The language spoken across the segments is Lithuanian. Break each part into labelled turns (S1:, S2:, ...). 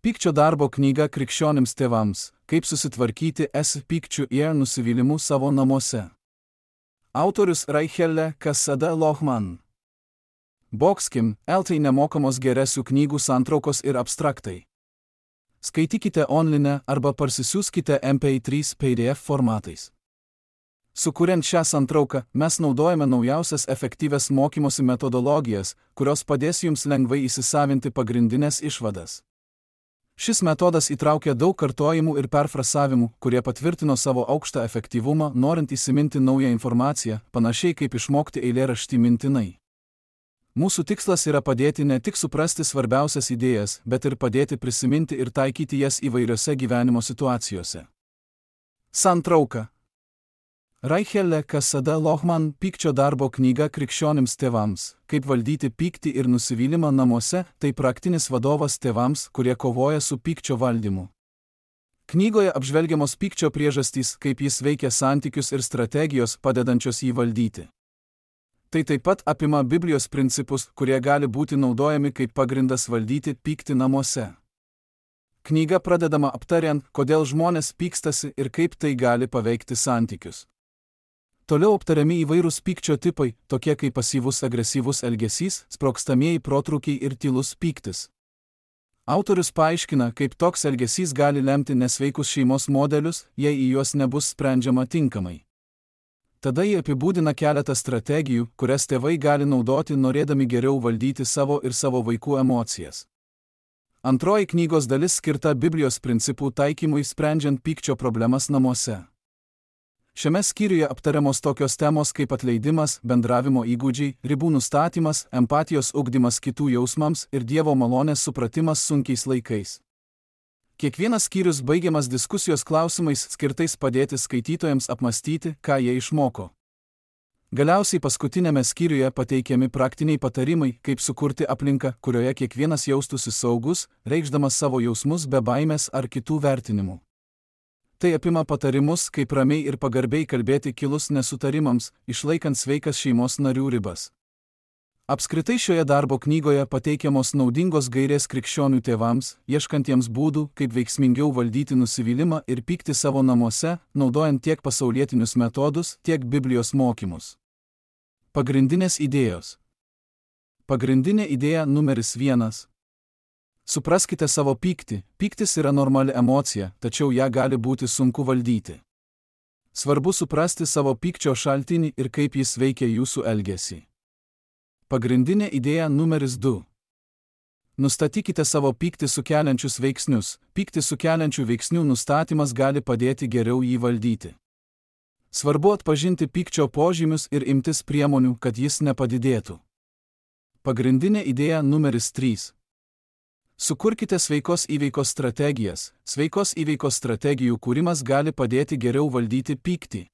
S1: Pykčio darbo knyga krikščionims tėvams, kaip susitvarkyti su pykčiu ir nusivylimu savo namuose. Autorius Raichelle Kasada Lohman. Boxkim, LT nemokamos geresių knygų santraukos ir abstraktai. Skaitykite online arba parsisiųskite MP3 PDF formatais. Sukuriant šią santrauką, mes naudojame naujausias efektyvias mokymosi metodologijas, kurios padės jums lengvai įsisavinti pagrindinės išvadas. Šis metodas įtraukia daug kartojimų ir perfrasavimų, kurie patvirtino savo aukštą efektyvumą, norint įsiminti naują informaciją, panašiai kaip išmokti eilėraštį mintinai. Mūsų tikslas yra padėti ne tik suprasti svarbiausias idėjas, bet ir padėti prisiminti ir taikyti jas įvairiose gyvenimo situacijose. Santrauka. Raichelle Kasada Lohman Pykčio darbo knyga krikščionims tėvams, kaip valdyti pyktį ir nusivylimą namuose, tai praktinis vadovas tėvams, kurie kovoja su pykčio valdymu. Knygoje apžvelgiamos pykčio priežastys, kaip jis veikia santykius ir strategijos padedančios jį valdyti. Tai taip pat apima Biblijos principus, kurie gali būti naudojami kaip pagrindas valdyti pyktį namuose. Knyga pradedama aptariant, kodėl žmonės pykstasi ir kaip tai gali paveikti santykius. Toliau aptariami įvairūs pykčio tipai, tokie kaip pasyvus agresyvus elgesys, sprogstamieji protrūkiai ir tylus pyktis. Autorius paaiškina, kaip toks elgesys gali lemti nesveikus šeimos modelius, jei į juos nebus sprendžiama tinkamai. Tada jie apibūdina keletą strategijų, kurias tėvai gali naudoti norėdami geriau valdyti savo ir savo vaikų emocijas. Antroji knygos dalis skirta Biblijos principų taikymui sprendžiant pykčio problemas namuose. Šiame skyriuje aptariamos tokios temos kaip atleidimas, bendravimo įgūdžiai, ribų nustatymas, empatijos ugdymas kitų jausmams ir Dievo malonės supratimas sunkiais laikais. Kiekvienas skyrius baigiamas diskusijos klausimais skirtais padėti skaitytojams apmastyti, ką jie išmoko. Galiausiai paskutinėme skyriuje pateikiami praktiniai patarimai, kaip sukurti aplinką, kurioje kiekvienas jaustųsi saugus, reikšdamas savo jausmus be baimės ar kitų vertinimų. Tai apima patarimus, kaip ramiai ir pagarbiai kalbėti kilus nesutarimams, išlaikant sveikas šeimos narių ribas. Apskritai šioje darbo knygoje pateikiamos naudingos gairės krikščionių tėvams, ieškantiems būdų, kaip veiksmingiau valdyti nusivylimą ir pyktį savo namuose, naudojant tiek pasaulietinius metodus, tiek Biblijos mokymus. Pagrindinės idėjos. Pagrindinė idėja numeris 1. Supraskite savo pyktį. Pyktis yra normali emocija, tačiau ją gali būti sunku valdyti. Svarbu suprasti savo pykčio šaltinį ir kaip jis veikia jūsų elgesį. Pagrindinė idėja numeris 2. Nustatykite savo pyktį sukeliančius veiksnius. Pyktį sukeliančių veiksnių nustatymas gali padėti geriau jį valdyti. Svarbu atpažinti pykčio požymius ir imtis priemonių, kad jis nepadidėtų. Pagrindinė idėja numeris 3. Sukurkite sveikos įveikos strategijas. Sveikos įveikos strategijų kūrimas gali padėti geriau valdyti pyktį.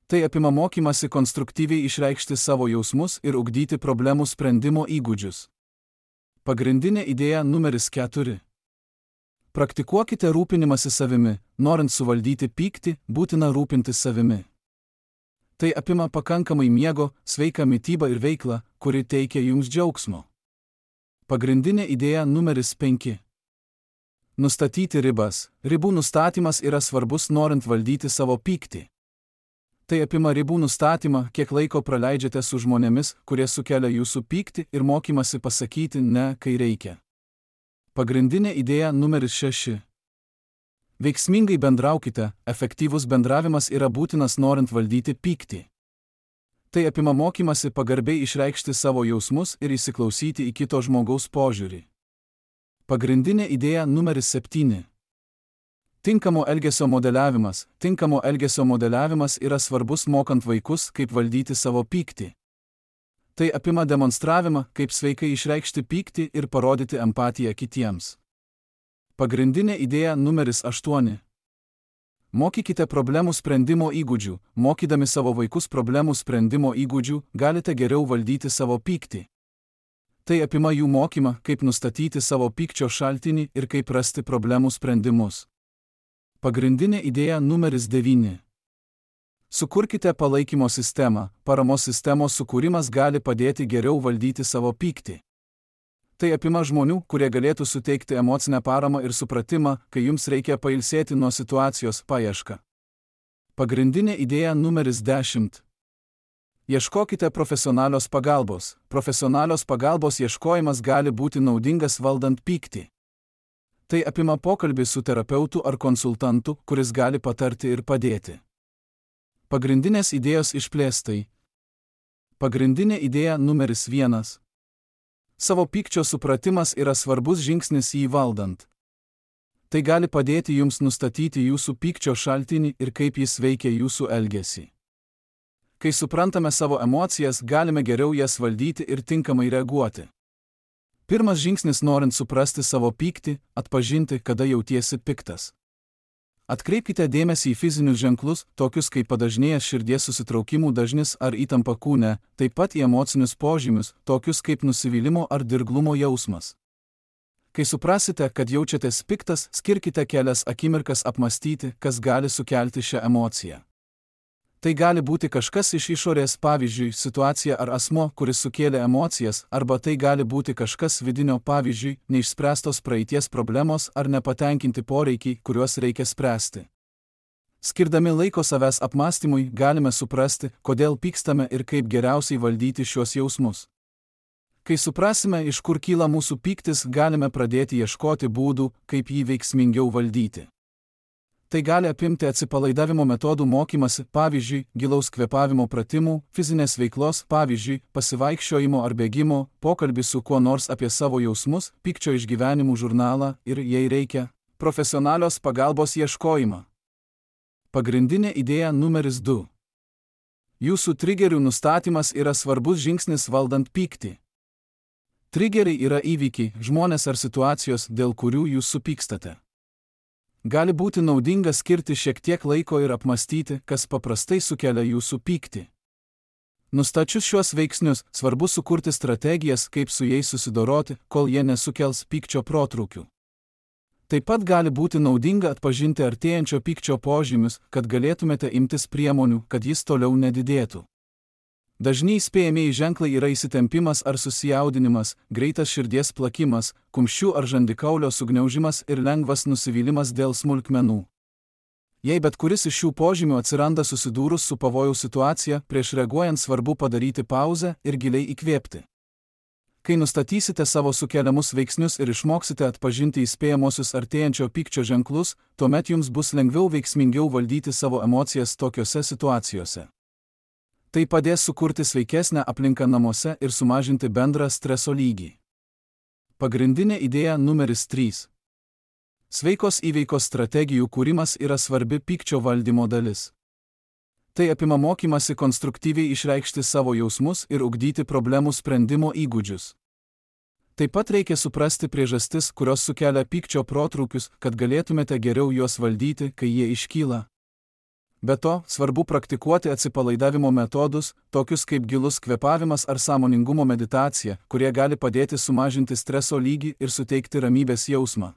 S1: Tai apima mokymasi konstruktyviai išreikšti savo jausmus ir ugdyti problemų sprendimo įgūdžius. Pagrindinė idėja numeris 4. Praktikuokite rūpinimąsi savimi. Norint suvaldyti pyktį, būtina rūpintis savimi. Tai apima pakankamai miego, sveiką mitybą ir veiklą, kuri teikia jums džiaugsmo. Pagrindinė idėja numeris 5. Nustatyti ribas. Ribų nustatymas yra svarbus norint valdyti savo pyktį. Tai apima ribų nustatymą, kiek laiko praleidžiate su žmonėmis, kurie sukelia jūsų pyktį ir mokymasi pasakyti ne, kai reikia. Pagrindinė idėja numeris 6. Veiksmingai bendraukite. Efektyvus bendravimas yra būtinas norint valdyti pyktį. Tai apima mokymasi pagarbiai išreikšti savo jausmus ir įsiklausyti į kito žmogaus požiūrį. Pagrindinė idėja numeris 7. Tinkamo elgesio modeliavimas. Tinkamo elgesio modeliavimas yra svarbus mokant vaikus, kaip valdyti savo pyktį. Tai apima demonstravimą, kaip sveikai išreikšti pyktį ir parodyti empatiją kitiems. Pagrindinė idėja numeris 8. Mokykite problemų sprendimo įgūdžių. Mokydami savo vaikus problemų sprendimo įgūdžių, galite geriau valdyti savo pyktį. Tai apima jų mokymą, kaip nustatyti savo pykčio šaltinį ir kaip rasti problemų sprendimus. Pagrindinė idėja numeris 9. Sukurkite palaikymo sistemą. Paramos sistemos sukūrimas gali padėti geriau valdyti savo pyktį. Tai apima žmonių, kurie galėtų suteikti emocinę paramą ir supratimą, kai jums reikia pailsėti nuo situacijos paiešką. Pagrindinė idėja numeris 10. Ieškokite profesionalios pagalbos. Profesionalios pagalbos ieškojimas gali būti naudingas valdant pyktį. Tai apima pokalbį su terapeutu ar konsultantu, kuris gali patarti ir padėti. Pagrindinės idėjos išplėstai. Pagrindinė idėja numeris 1. Savo pykčio supratimas yra svarbus žingsnis jį valdant. Tai gali padėti jums nustatyti jūsų pykčio šaltinį ir kaip jis veikia jūsų elgesį. Kai suprantame savo emocijas, galime geriau jas valdyti ir tinkamai reaguoti. Pirmas žingsnis norint suprasti savo pyktį – atpažinti, kada jautiesi piktas. Atkreipkite dėmesį į fizinius ženklus, tokius kaip padažnėjęs širdies susitraukimų dažnis ar įtampa kūne, taip pat į emocinius požymius, tokius kaip nusivylimo ar dirglumo jausmas. Kai suprasite, kad jaučiatės piktas, skirkite kelias akimirkas apmąstyti, kas gali sukelti šią emociją. Tai gali būti kažkas iš išorės, pavyzdžiui, situacija ar asmo, kuris sukėlė emocijas, arba tai gali būti kažkas vidinio, pavyzdžiui, neišspręstos praeities problemos ar nepatenkinti poreikiai, kuriuos reikia spręsti. Skirdami laiko savęs apmąstymui, galime suprasti, kodėl pykstame ir kaip geriausiai valdyti šios jausmus. Kai suprasime, iš kur kyla mūsų pyktis, galime pradėti ieškoti būdų, kaip jį veiksmingiau valdyti. Tai gali apimti atsipalaidavimo metodų mokymasi, pavyzdžiui, gilaus kvėpavimo pratimų, fizinės veiklos, pavyzdžiui, pasivaikščiojimo ar bėgimo, pokalbį su kuo nors apie savo jausmus, pykčio išgyvenimų žurnalą ir, jei reikia, profesionalios pagalbos ieškojimą. Pagrindinė idėja numeris 2. Jūsų trigerių nustatymas yra svarbus žingsnis valdant pyktį. Trigeriai yra įvykiai, žmonės ar situacijos, dėl kurių jūs supykstate. Gali būti naudinga skirti šiek tiek laiko ir apmąstyti, kas paprastai sukelia jūsų pyktį. Nustačius šiuos veiksnius, svarbu sukurti strategijas, kaip su jais susidoroti, kol jie nesukels pykčio protrūkių. Taip pat gali būti naudinga atpažinti artėjančio pykčio požymius, kad galėtumėte imtis priemonių, kad jis toliau nedidėtų. Dažni įspėjamieji ženklai yra įsitempimas ar susijaudinimas, greitas širdies plakimas, kumščių ar žandikaulio sugniaužimas ir lengvas nusivylimas dėl smulkmenų. Jei bet kuris iš šių požymių atsiranda susidūrus su pavojaus situacija, prieš reaguojant svarbu padaryti pauzę ir giliai įkvėpti. Kai nustatysite savo sukeliamus veiksnius ir išmoksite atpažinti įspėjamosius artėjančio pykčio ženklus, tuomet jums bus lengviau veiksmingiau valdyti savo emocijas tokiose situacijose. Tai padės sukurti sveikesnę aplinką namuose ir sumažinti bendrą streso lygį. Pagrindinė idėja numeris 3. Sveikos įveikos strategijų kūrimas yra svarbi pykčio valdymo dalis. Tai apima mokymasi konstruktyviai išreikšti savo jausmus ir ugdyti problemų sprendimo įgūdžius. Taip pat reikia suprasti priežastis, kurios sukelia pykčio protrūkius, kad galėtumėte geriau juos valdyti, kai jie iškyla. Be to, svarbu praktikuoti atsipalaidavimo metodus, tokius kaip gilus kvėpavimas ar sąmoningumo meditacija, kurie gali padėti sumažinti streso lygį ir suteikti ramybės jausmą.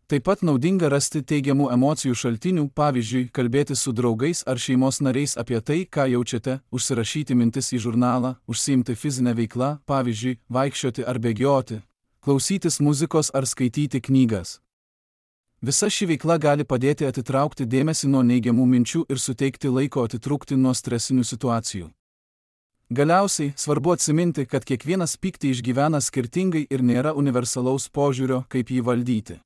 S1: Taip pat naudinga rasti teigiamų emocijų šaltinių, pavyzdžiui, kalbėti su draugais ar šeimos nariais apie tai, ką jaučiate, užsirašyti mintis į žurnalą, užsiimti fizinę veiklą, pavyzdžiui, vaikščioti ar bėgioti, klausytis muzikos ar skaityti knygas. Visa ši veikla gali padėti atitraukti dėmesį nuo neigiamų minčių ir suteikti laiko atitrūkti nuo stresinių situacijų. Galiausiai, svarbu atsiminti, kad kiekvienas pyktį išgyvena skirtingai ir nėra universalaus požiūrio, kaip jį valdyti.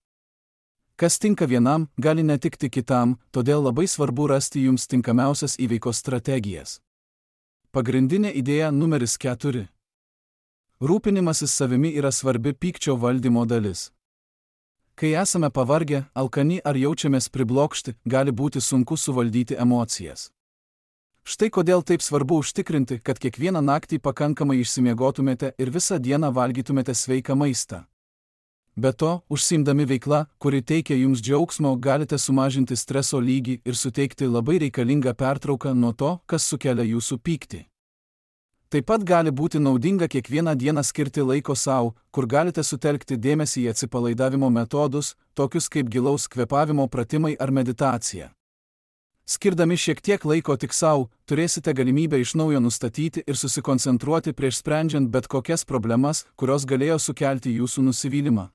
S1: Kas tinka vienam, gali netikti kitam, todėl labai svarbu rasti jums tinkamiausias įveikos strategijas. Pagrindinė idėja numeris 4. Rūpinimasis savimi yra svarbi pykčio valdymo dalis. Kai esame pavargę, alkani ar jaučiamės priblokšti, gali būti sunku suvaldyti emocijas. Štai kodėl taip svarbu užtikrinti, kad kiekvieną naktį pakankamai išsimiegotumėte ir visą dieną valgytumėte sveiką maistą. Be to, užsiimdami veikla, kuri teikia jums džiaugsmo, galite sumažinti streso lygį ir suteikti labai reikalingą pertrauką nuo to, kas sukelia jūsų pyktį. Taip pat gali būti naudinga kiekvieną dieną skirti laiko sau, kur galite sutelkti dėmesį į atsipalaidavimo metodus, tokius kaip gilaus kvėpavimo pratimai ar meditacija. Skirdami šiek tiek laiko tik savo, turėsite galimybę iš naujo nustatyti ir susikoncentruoti prieš sprendžiant bet kokias problemas, kurios galėjo sukelti jūsų nusivylimą.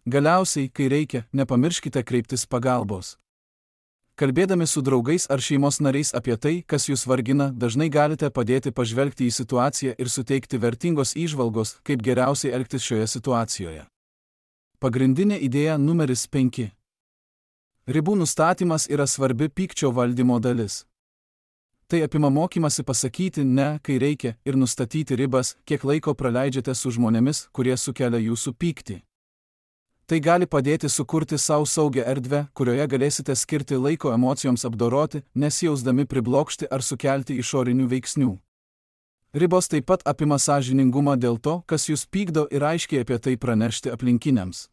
S1: Galiausiai, kai reikia, nepamirškite kreiptis pagalbos. Kalbėdami su draugais ar šeimos nariais apie tai, kas jūs vargina, dažnai galite padėti pažvelgti į situaciją ir suteikti vertingos įžvalgos, kaip geriausiai elgtis šioje situacijoje. Pagrindinė idėja numeris 5. Ribų nustatymas yra svarbi pykčio valdymo dalis. Tai apima mokymasi pasakyti ne, kai reikia, ir nustatyti ribas, kiek laiko praleidžiate su žmonėmis, kurie sukelia jūsų pyktį. Tai gali padėti sukurti savo saugią erdvę, kurioje galėsite skirti laiko emocijoms apdoroti, nesijausdami priblokšti ar sukelti išorinių veiksnių. Ribos taip pat apima sąžiningumą dėl to, kas jūs pykdo, ir aiškiai apie tai pranešti aplinkiniams.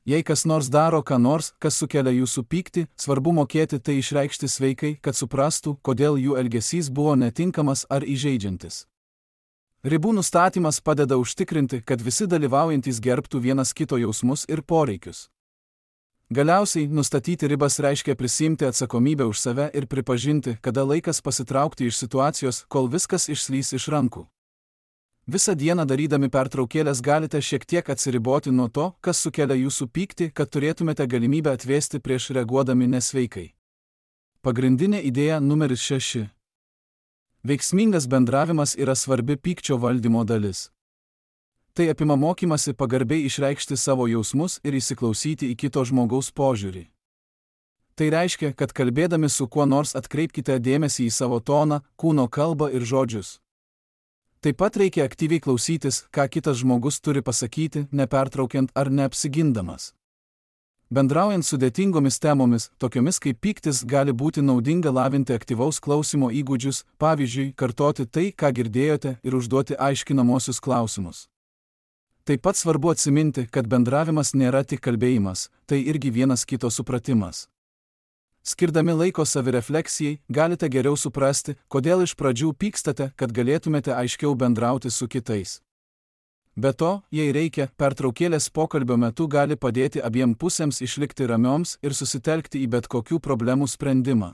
S1: Jei kas nors daro ką nors, kas sukelia jūsų pyktį, svarbu mokėti tai išreikšti sveikai, kad suprastų, kodėl jų elgesys buvo netinkamas ar įžeidžiantis. Ribų nustatymas padeda užtikrinti, kad visi dalyvaujantys gerbtų vienas kito jausmus ir poreikius. Galiausiai, nustatyti ribas reiškia prisiimti atsakomybę už save ir pripažinti, kada laikas pasitraukti iš situacijos, kol viskas išslys iš rankų. Visą dieną darydami pertraukėlės galite šiek tiek atsiriboti nuo to, kas sukelia jūsų pyktį, kad turėtumėte galimybę atvėsti prieš reaguodami nesveikai. Pagrindinė idėja numeris 6. Veiksmingas bendravimas yra svarbi pykčio valdymo dalis. Tai apima mokymasi pagarbiai išreikšti savo jausmus ir įsiklausyti į kito žmogaus požiūrį. Tai reiškia, kad kalbėdami su kuo nors atkreipkite dėmesį į savo toną, kūno kalbą ir žodžius. Taip pat reikia aktyviai klausytis, ką kitas žmogus turi pasakyti, nepertraukiant ar neapsigindamas. Bendraujant sudėtingomis temomis, tokiomis kaip pyktis, gali būti naudinga lavinti aktyvaus klausymo įgūdžius, pavyzdžiui, kartoti tai, ką girdėjote, ir užduoti aiškinamosius klausimus. Taip pat svarbu atsiminti, kad bendravimas nėra tik kalbėjimas, tai irgi vienas kito supratimas. Skirdami laiko savirefleksijai, galite geriau suprasti, kodėl iš pradžių pykstate, kad galėtumėte aiškiau bendrauti su kitais. Be to, jei reikia, pertraukėlės pokalbio metu gali padėti abiem pusėms išlikti ramioms ir susitelkti į bet kokių problemų sprendimą.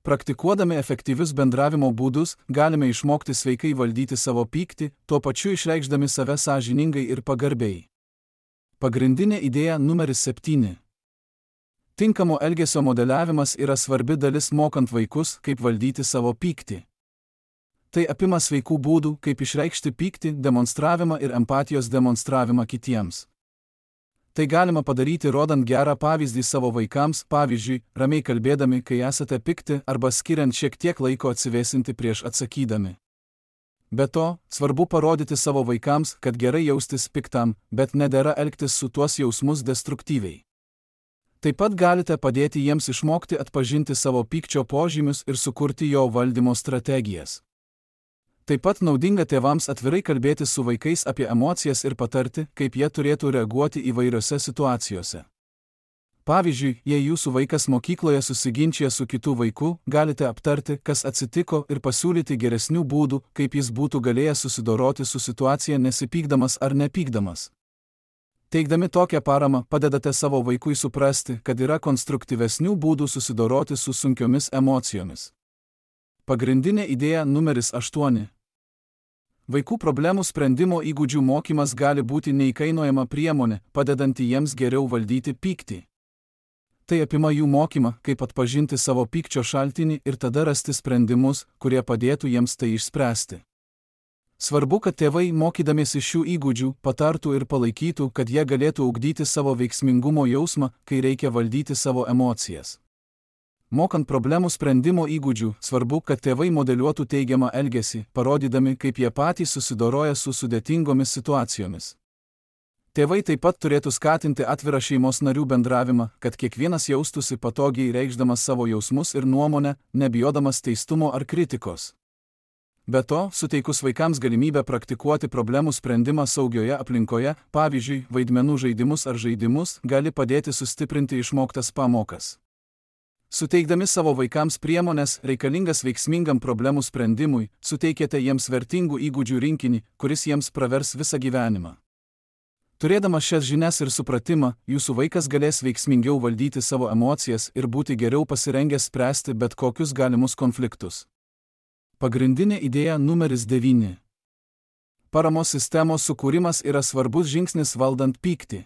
S1: Praktikuodami efektyvius bendravimo būdus, galime išmokti sveikai valdyti savo pyktį, tuo pačiu išreikšdami save sąžiningai ir pagarbiai. Pagrindinė idėja numeris 7. Tinkamo elgesio modeliavimas yra svarbi dalis mokant vaikus, kaip valdyti savo pyktį. Tai apima sveikų būdų, kaip išreikšti pyktį, demonstravimą ir empatijos demonstravimą kitiems. Tai galima padaryti rodant gerą pavyzdį savo vaikams, pavyzdžiui, ramiai kalbėdami, kai esate pikti, arba skiriant šiek tiek laiko atsivėsinti prieš atsakydami. Be to, svarbu parodyti savo vaikams, kad gerai jaustis piktam, bet nedera elgtis su tuos jausmus destruktyviai. Taip pat galite padėti jiems išmokti atpažinti savo pykčio požymius ir sukurti jo valdymo strategijas. Taip pat naudinga tėvams atvirai kalbėti su vaikais apie emocijas ir patarti, kaip jie turėtų reaguoti įvairiose situacijose. Pavyzdžiui, jei jūsų vaikas mokykloje susiginčija su kitu vaiku, galite aptarti, kas atsitiko, ir pasiūlyti geresnių būdų, kaip jis būtų galėjęs susidoroti su situacija nesipykdamas ar nepykdamas. Teikdami tokią paramą, padedate savo vaikui suprasti, kad yra konstruktyvesnių būdų susidoroti su sunkiomis emocijomis. Pagrindinė idėja numeris 8. Vaikų problemų sprendimo įgūdžių mokymas gali būti neįkainojama priemonė, padedanti jiems geriau valdyti pyktį. Tai apima jų mokymą, kaip atpažinti savo pykčio šaltinį ir tada rasti sprendimus, kurie padėtų jiems tai išspręsti. Svarbu, kad tėvai, mokydamiesi šių įgūdžių, patartų ir palaikytų, kad jie galėtų ugdyti savo veiksmingumo jausmą, kai reikia valdyti savo emocijas. Mokant problemų sprendimo įgūdžių, svarbu, kad tėvai modeliuotų teigiamą elgesį, parodydami, kaip jie patys susidoroja su sudėtingomis situacijomis. Tėvai taip pat turėtų skatinti atvirą šeimos narių bendravimą, kad kiekvienas jaustųsi patogiai reikšdamas savo jausmus ir nuomonę, nebijodamas teistumo ar kritikos. Be to, suteikus vaikams galimybę praktikuoti problemų sprendimą saugioje aplinkoje, pavyzdžiui, vaidmenų žaidimus ar žaidimus, gali padėti sustiprinti išmoktas pamokas. Suteikdami savo vaikams priemones, reikalingas veiksmingam problemų sprendimui, suteikėte jiems vertingų įgūdžių rinkinį, kuris jiems pravers visą gyvenimą. Turėdamas šias žinias ir supratimą, jūsų vaikas galės veiksmingiau valdyti savo emocijas ir būti geriau pasirengęs spręsti bet kokius galimus konfliktus. Pagrindinė idėja numeris 9. Paramos sistemos sukūrimas yra svarbus žingsnis valdant pyktį.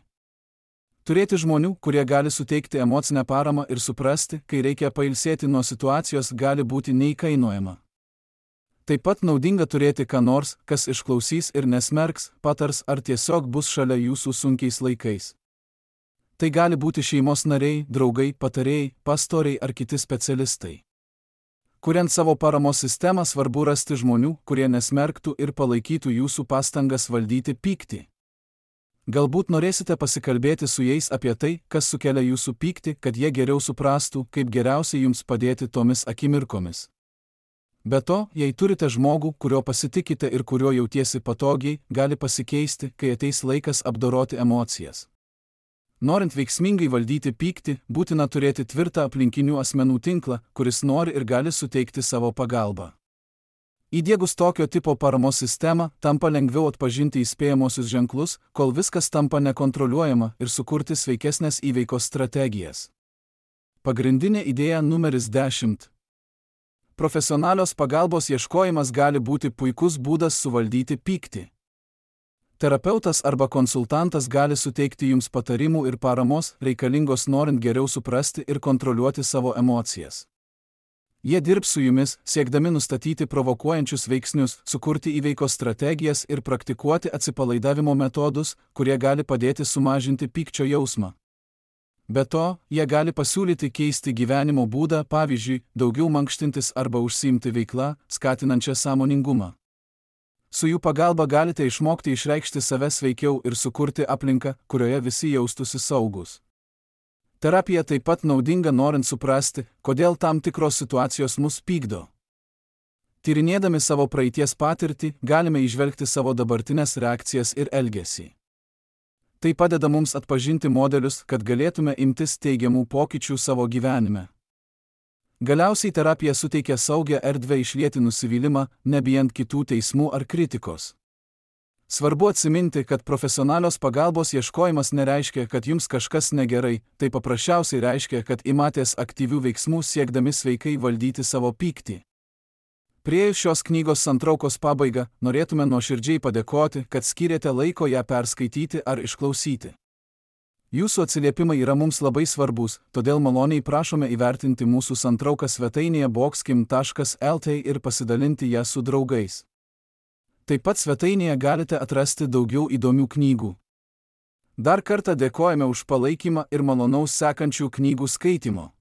S1: Turėti žmonių, kurie gali suteikti emocinę paramą ir suprasti, kai reikia pailsėti nuo situacijos, gali būti neįkainojama. Taip pat naudinga turėti ką nors, kas išklausys ir nesmerks, patars ar tiesiog bus šalia jūsų sunkiais laikais. Tai gali būti šeimos nariai, draugai, patarėjai, pastoriai ar kiti specialistai. Kuriant savo paramos sistemą, svarbu rasti žmonių, kurie nesmerktų ir palaikytų jūsų pastangas valdyti pyktį. Galbūt norėsite pasikalbėti su jais apie tai, kas sukelia jūsų pyktį, kad jie geriau suprastų, kaip geriausiai jums padėti tomis akimirkomis. Be to, jei turite žmogų, kurio pasitikite ir kurio jautiesi patogiai, gali pasikeisti, kai ateis laikas apdoroti emocijas. Norint veiksmingai valdyti pyktį, būtina turėti tvirtą aplinkinių asmenų tinklą, kuris nori ir gali suteikti savo pagalbą. Įdiegus tokio tipo paramos sistemą, tampa lengviau atpažinti įspėjamosius ženklus, kol viskas tampa nekontroliuojama ir sukurti sveikesnės įveikos strategijas. Pagrindinė idėja numeris 10. Profesionalios pagalbos ieškojimas gali būti puikus būdas suvaldyti pyktį. Terapeutas arba konsultantas gali suteikti jums patarimų ir paramos, reikalingos norint geriau suprasti ir kontroliuoti savo emocijas. Jie dirbs su jumis, siekdami nustatyti provokuojančius veiksnius, sukurti įveikos strategijas ir praktikuoti atsipalaidavimo metodus, kurie gali padėti sumažinti pykčio jausmą. Be to, jie gali pasiūlyti keisti gyvenimo būdą, pavyzdžiui, daugiau mankštintis arba užsiimti veiklą, skatinančią sąmoningumą. Su jų pagalba galite išmokti išreikšti save sveikiau ir sukurti aplinką, kurioje visi jaustųsi saugus. Terapija taip pat naudinga norint suprasti, kodėl tam tikros situacijos mus pykdo. Tyrinėdami savo praeities patirtį, galime įžvelgti savo dabartinės reakcijas ir elgesį. Tai padeda mums atpažinti modelius, kad galėtume imtis teigiamų pokyčių savo gyvenime. Galiausiai terapija suteikia saugią erdvę išlieti nusivylimą, nebijant kitų teismų ar kritikos. Svarbu atsiminti, kad profesionalios pagalbos ieškojimas nereiškia, kad jums kažkas negerai, tai paprasčiausiai reiškia, kad imatės aktyvių veiksmų siekdami sveikai valdyti savo pyktį. Priėjus šios knygos santraukos pabaigą, norėtume nuoširdžiai padėkoti, kad skyrėte laiko ją perskaityti ar išklausyti. Jūsų atsiliepimai yra mums labai svarbus, todėl maloniai prašome įvertinti mūsų santrauką svetainėje boxkim.lt ir pasidalinti ją su draugais. Taip pat svetainėje galite atrasti daugiau įdomių knygų. Dar kartą dėkojame už palaikymą ir malonaus sekančių knygų skaitimo.